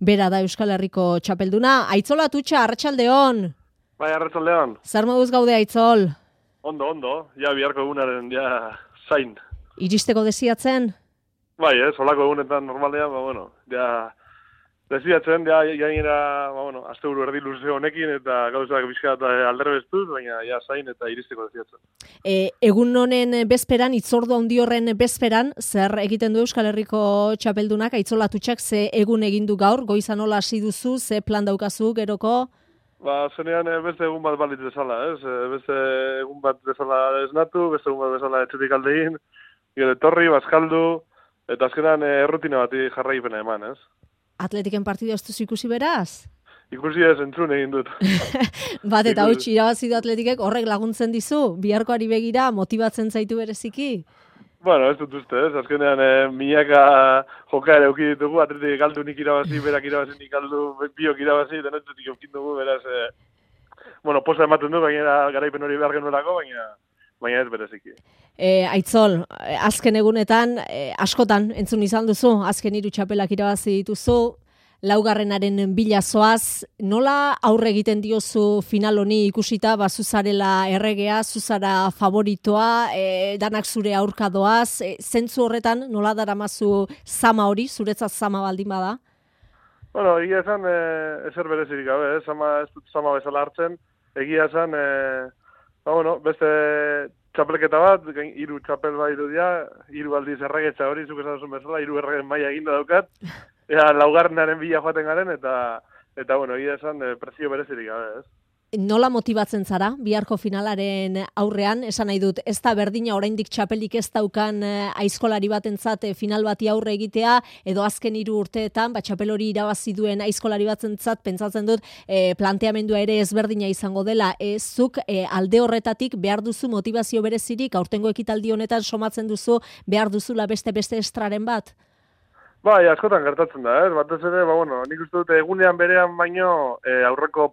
Bera da Euskal Herriko txapelduna. Aitzola Atutxa, arratsaldeon. Bai, arratsaldeon. Zer moduz gaude, Aitzol? Ondo. Ja, biharko egunaren, zain. Iristeko desiatzen? Bai, solako egunetan normalean, desiatzen, gainera, asteburu erdi luze honekin, eta gauzak bizkat alderbestuz, baina zain eta iristeko desiatzen. Egun honen bezperan, itzordu handi horren bezperan, zer egiten du Euskal Herriko txapeldunak, Aitzola Atutxak, ze egun egin du gaur, goizan nola hasi duzu, ze plan daukazu, geroko? Zenean beste egun bat balit bezala, beste egun bat bezala esnatu, beste egun bat bezala etxetik aldein, gero etorri, bazkaldu, eta azkenan errutina bati jarraipena eman, Atletiken partidu ez duzu ikusi beraz? Ikusi ez entzun egin dut. Bat eta huts irabazi du Atletikek, horrek laguntzen dizu, biharkoari begira, motibatzen zaitu bereziki? Ez dut uste, azkenean milaka joka ere euki ditugu, Atletik galdu nik irabazi, berak irabazi nik galdu, biok irabazi, denetzetik eukin dugu, beraz, posa ematen du, baina garaipen hori behar genuelako, baina ez bereziki. Aitzol, azken egunetan, askotan entzun izan duzu, azken 3 txapelak irabazi dituzu, laugarrenaren bila zoaz, nola aurre egiten diozu final honi ikusita, zuzarela erregea, zuzara favoritoa, danak zure aurka doaz, zentzu horretan nola daramazu zama hori, zuretzat zama baldin bada? Egia esan, ezer berezirik gabe, ez dut zama bezala hartzen, egia esan, beste txapelketa bat, 3 txapel bai irudia, 3 aldiz erregetxa hori, zuk esan duzun bezala, 3 erregen maila eginda daukat, laugarrenaren bila joaten garen, eta egia esan, prezio berezirik gabe, ez? Nola motibatzen zara, biharko finalaren aurrean, esan nahi dut, ez da berdina oraindik txapelik ez daukan aizkolari batentzat final bati aurre egitea, edo azken 3 urteetan, txapel hori irabazi duen aizkolari batentzat, pentsatzen dut, planteamendua ere ezberdina izango dela, zuk alde horretatik behar duzu motivazio berezirik, aurtengo ekitaldi honetan somatzen duzu, behar duzula beste estraren bat? Bai, askotan gertatzen da, batez ere, nik uste dut egunean berean baino aurreko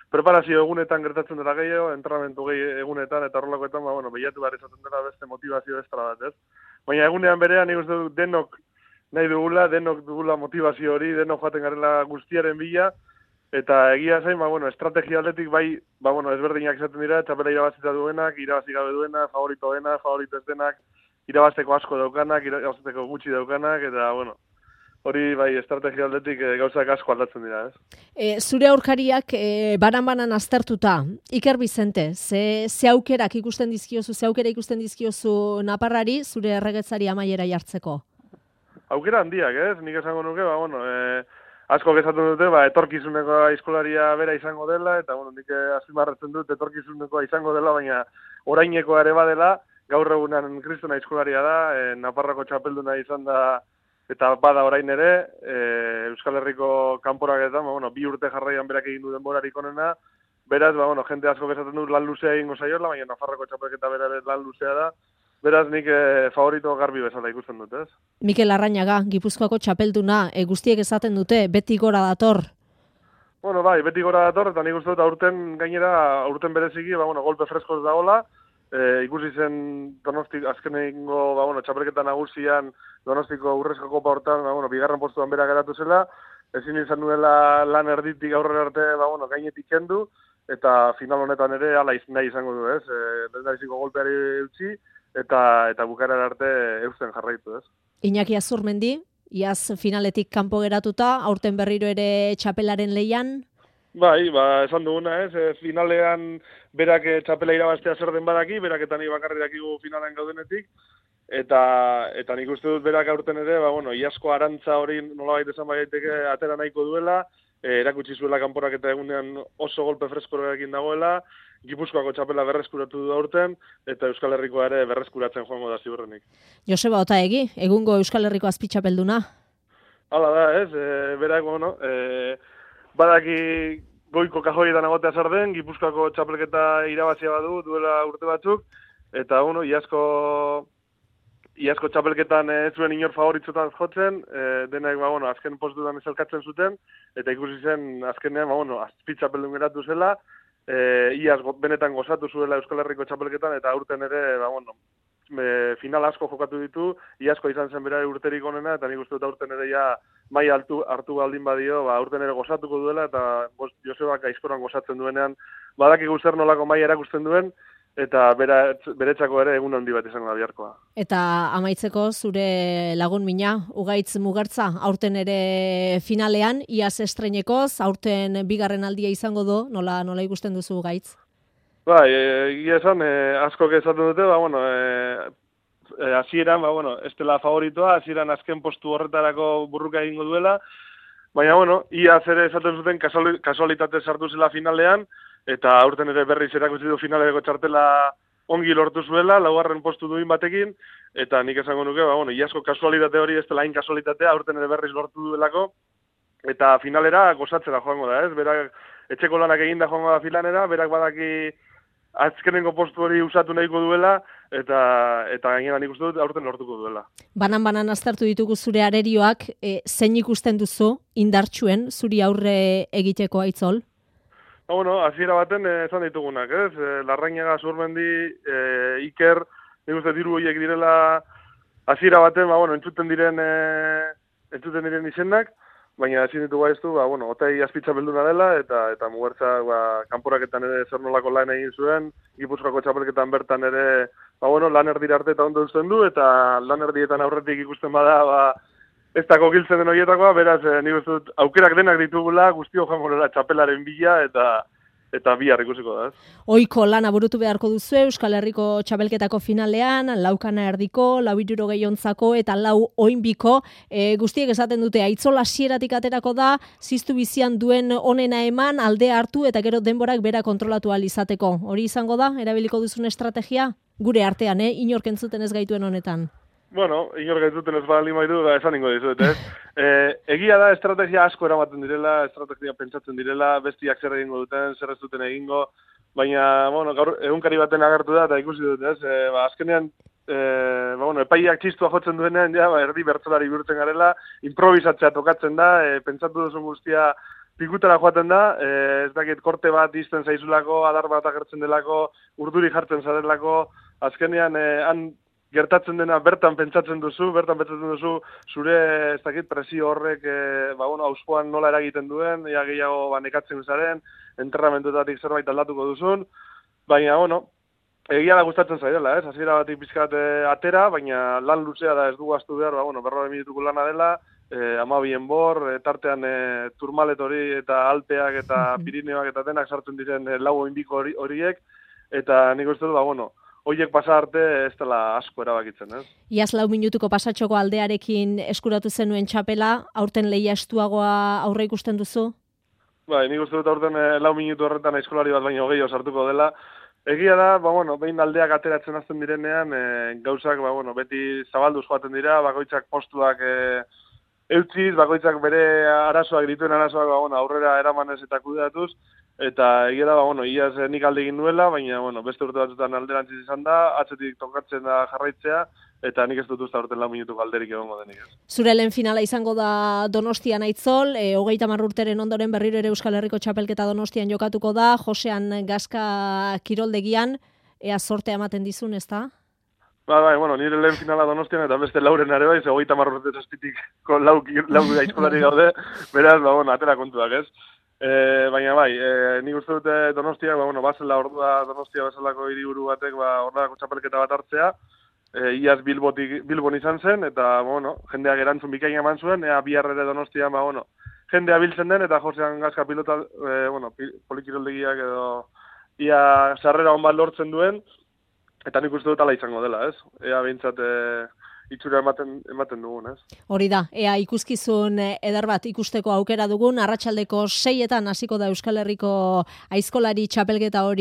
preparazio egunetan gertatzen dela gehiago, entrenamentu egunetan eta horrelakoetan, behiatu behar izaten dela beste motivazio estra bat, ez? Baina egunean berean nik uste dut denok nahi dugula, denok dugula motivazio hori, denok joaten garela guztiaren bila, eta egia zain, estrategia aldetik bai, ezberdinak izaten dira, txapela irabazita duenak, irabazi gabe duena, favorito ez denak, irabazteko asko daukanak, irabazteko gutxi daukanak, eta, hori bai estrategia aldetik gauzak asko aldatzen dira, ez? Zure aurkariak banan aztertuta, Iker Bizente, ze aukerak ikusten dizkiozu Naparrari, zure erregetzari amaiera jartzeko? Aukera handiak, ez? Nik esango nuke, asko gezatzen dute, etorkizuneko aizkolaria bera izango dela, eta, nik azpimarratzen dut etorkizuneko izango dela, baina orainekoa ere badela, gaur egunan kristona aizkolaria da, Naparrako txapelduna izan da, eta bada orain ere, Euskal Herriko kanporaketan, 2 urte jarraian berak egin du denborarik onena, beraz, jente asko bezaten du lan luzea egingo saiola, baina Nafarroko txapelketa bera lan luzea da, beraz nik favorito garbi bezala ikusten dut, ez? Mikel Arrañaga, Gipuzkoako txapelduna, guztiek esaten dute, beti gora dator. Bai, beti gora dator, eta nik uste dut aurten bereziki, golpe freskoz dagoela, ikusi zen Donostik azkenengo txapelketa nagusian Donostiko urrezko kopa hortan, bigarren postuan bera geratu zela, ezin izan duela lan erditik aurrera arte, gainetik kendu, eta final honetan ere ala nahi izango du, ez? Lehendabiziko golpeari utzi, eta bukaeran arte eusten jarraitu, ez? Iñaki Azurmendi, iaz finaletik kanpo geratuta, aurten berriro ere txapelaren lehian? Bai, esan duguna, ez? Finalean berak txapela irabaztea zer den badaki, berak eta nik bakarri dakigu finalean gaudenetik, eta nik uste dut berak aurten ere, iazko arantza hori nolabait esan daiteke atera nahiko duela, erakutsi zuela kanporak eta egunean oso golpe freskorekin dagoela, Gipuzkoako txapela berreskuratu du aurten, eta Euskal Herrikoa ere berreskuratzen joango da ziurrenik. Joseba Otaegi, egungo Euskal Herriko azpitxapelduna? Hala da, ez? Berak, badaki goiko kajoietan egotea zer den, Gipuzkoako txapelketa irabazia badu, duela urte batzuk, eta iazko txapelketan ez zuen inor favoritzotan jotzen, denak, azken postutan ezelkatzen zuten, eta ikusi zen, azkenean, azpitxapeldun geratu zela, iaz benetan gozatu zuela Euskal Herriko txapelketan, eta aurten ere, final asko jokatu ditu, iazko izan zen bera urterik onena, eta nik uste dut aurten ere ja mai hartu baldin badio, aurten ere gozatuko duela, eta Josebak aizkoran gozatzen duenean, badakigu zer nolako mai erakusten duen, eta beretzako ere egun handi bat izango da biharkoa. Eta amaitzeko zure lagun mina, Ugaitz Mugartza, aurten ere finalean, iaz estreinekoz, aurten bigarren aldia izango du, nola ikusten duzu Ugaitz? Bai, egia esan, askok esaten dute, hasieran, ez dela favoritoa, hasieran azken postu horretarako burruka egingo duela, baina, iaz ere esaten zuten kasualitate sartu zela finalean, eta aurten ere berriz erakutsi du finaleko txartela ongi lortu zuela, laugarren postu duin batekin, eta nik esango nuke, iazko kasualitate hori ez dela hain kasualitatea, aurten ere berriz lortu duelako, eta finalera gozatzera joango da, ez? Berak etxeko lanak eginda joango da finalera, berak badaki azkenengo postu hori usatu nahiko duela, eta gainera nik uste dut aurten lortuko duela. Banan aztertu ditugu zure arerioak, zein ikusten duzu indartsuen zuri aurre egiteko Aitzol? Hasiera baten esan ditugunak, ez? Larrañaga, Zurmendi, Iker, nik uste diru horiek direla hasiera baten, entzuten diren izenak, baina ezin ditugu aiztu, Otai azpitza belduna dela, eta Mugartza kanporaketan ere zer nolako lan egin zuen, Gipuzkoako txapelketan bertan ere, lan erdira arte eta ondo uzten du, eta lan erdietan aurretik ikusten bada, ez dako giltzen den horietakoa, beraz, nik uste dut, aukerak denak ditugula, guztio joango dela txapelaren bila, eta bihar ikusiko da, ez? Oiko lana burutu beharko duzu Euskal Herriko txapelketako finalean, laukana erdiko, 4 eta 4 oinbiko, guztiek esaten dute, Aitzol hasieratik aterako da, ziztu bizian duen onena eman, aldea hartu, eta gero denborak bera kontrolatu ahal izateko. Hori izango da, erabiliko duzun estrategia? Gure artean, inork entzuten ez gaituen honetan. Inork entzuten ez baldin baitu, esan ingo dizuet, ez? Egia da, estrategia asko eramaten direla, estrategia pentsatzen direla, bestiak zer egingo duten, zer ez duten egingo, baina, gaur egunkari baten agertu da, eta ikusi dut, ez? Azkenean, epaiak txistua jotzen duenean, erdi bertsolari bihurtzen garela, improvisatzea tokatzen da, pentsatu duzun guztia pikutara joaten da, ez dakit korte bat izten zaizulako, adar bat agertzen delako, urduri jartzen zarelako, azkenean, han gertatzen dena bertan pentsatzen duzu zure, ez dakit, presio horrek, auspoan nola eragiten duen, gehiago nekatzen zaren, enterramentuetatik zerbait aldatuko duzun, baina, egia da gustatzen zaidela, ez? Hasiera batik pizkat atera, baina lan luzea da ez dugu astu behar, 40 minutuko lana dela, 12 enbor, tartean Turmalet hori eta Alpeak eta Pirineoak eta denak sartzen diren 4 oinbiko horiek, eta nik uste dut, horiek pasa arte ez dela asko erabakitzen, ez? Iaz 4 minutuko pasatxoko aldearekin eskuratu zenuen txapela, aurten lehia estuagoa aurre ikusten duzu? Nik uste dut aurten 4 minutu horretan aizkolari bat baino gehiago sartuko dela. Egia da, behin aldeak ateratzen hasten direnean, gauzak, beti zabalduz joaten dira, bakoitzak postuak eutziz, bakoitzak bere arazoak dituen arazoak, aurrera eramanez eta kudeatuz, eta egia da, iaz nik alde egin nuela, baina, beste urte batzutan alderantziz izan da, atzetik tokatzen da jarraitzea, eta nik ez dut usta urten 4 minutuko alderik egongo denik. Zure lehen finala izango da Donostian Aitzol, 30 urteren ondoren berriro ere Euskal Herriko txapelketa Donostian jokatuko da, Josean Gazka kiroldegian, ea sortea ematen dizun, ez da? Nire lehen finala Donostian eta beste lauren ere bai, 30 urte zazpitiko lau aizkolari gaude, beraz, atera kontuak, ez? Baina nik uste dute Donostia, bazela ordua Donostia bezalako hiriburu batek, horrelako txapelketa bat hartzea, iaz Bilbon izan zen, eta, jendeak erantzun bikaina eman zuen, bihar ere Donostian, jendea biltzen den, eta Josean Gazka pilota, polikiroldegiak edo, ia sarrera hon bat lortzen duen, eta nik uste dut ala izango dela, ez? Ea behintzat itxura ematen dugun, ez? Hori da, ea ikuskizun eder bat ikusteko aukera dugun, arratsaldeko 6etan hasiko da Euskal Herriko aizkolari txapelketa hori.